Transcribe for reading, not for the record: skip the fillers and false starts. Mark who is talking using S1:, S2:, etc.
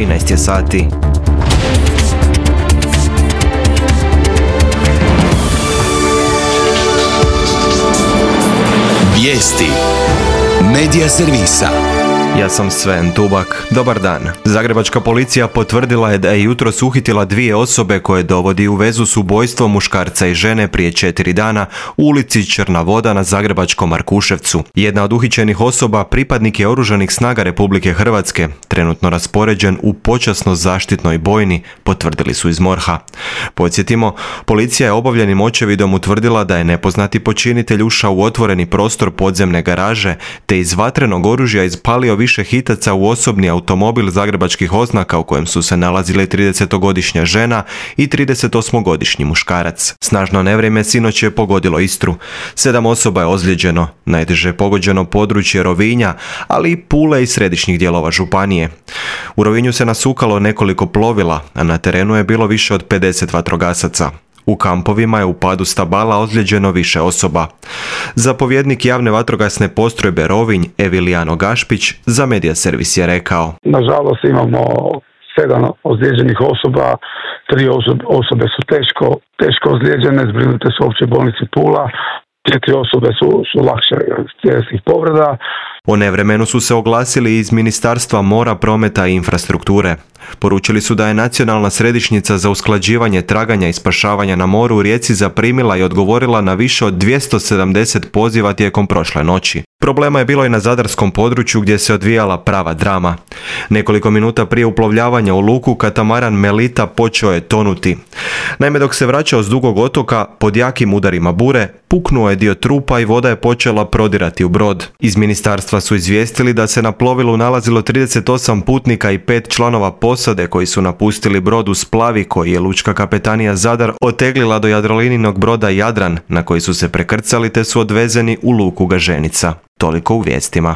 S1: 13 je sati.
S2: Vijesti Medija servisa.
S1: Ja sam Sven Tubak. Dobar dan. Zagrebačka policija potvrdila je da je jutros uhitila 2 osobe koje dovodi u vezu s ubojstvom muškarca i žene prije 4 dana u ulici Črna voda na zagrebačkom Markuševcu. Jedna od uhićenih osoba pripadnik je Oružanih snaga Republike Hrvatske, trenutno raspoređen u počasno zaštitnoj bojni, potvrdili su iz MORH-a. Podsjetimo, policija je obavljenim očevidom utvrdila da je nepoznati počinitelj ušao u otvoreni prostor podzemne garaže te iz vatrenog oružja ispalio više hitaca u osobni automobil zagrebačkih oznaka u kojem su se nalazile 30-godišnja žena i 38-godišnji muškarac. Snažno nevrijeme sinoć je pogodilo Istru. 7 osoba je ozlijeđeno, najteže pogođeno područje Rovinja, ali i Pule i središnjih dijelova županije. U Rovinju se nasukalo nekoliko plovila, a na terenu je bilo više od 50 vatrogasaca. U kampovima je u padu stabala ozlijeđeno više osoba. Zapovjednik javne vatrogasne postrojbe Rovinj, Evilijano Gašpić, za Medija servis je rekao:
S3: Nažalost imamo 7 ozlijeđenih osoba, 3 osobe su teško ozlijeđene, zbrinute su u općoj bolnici Pula, 4 osobe su lakše tjelesnih povreda.
S1: O nevremenu su se oglasili iz Ministarstva mora, prometa i infrastrukture. Poručili su da je Nacionalna središnjica za usklađivanje traganja i spašavanja na moru u Rijeci zaprimila i odgovorila na više od 270 poziva tijekom prošle noći. Problema je bilo i na zadarskom području gdje se odvijala prava drama. Nekoliko minuta prije uplovljavanja u luku katamaran Melita počeo je tonuti. Naime, dok se vraćao s Dugog otoka, pod jakim udarima bure, puknuo je dio trupa i voda je počela prodirati u brod. Iz ministarstva su izvijestili da se na plovilu nalazilo 38 putnika i 5 članova posade koji su napustili brod u Splavi koji je lučka kapetanija Zadar oteglila do Jadrolininog broda Jadran, na koji su se prekrcali te su odvezeni u luku Gaženica. Toliko u vijestima.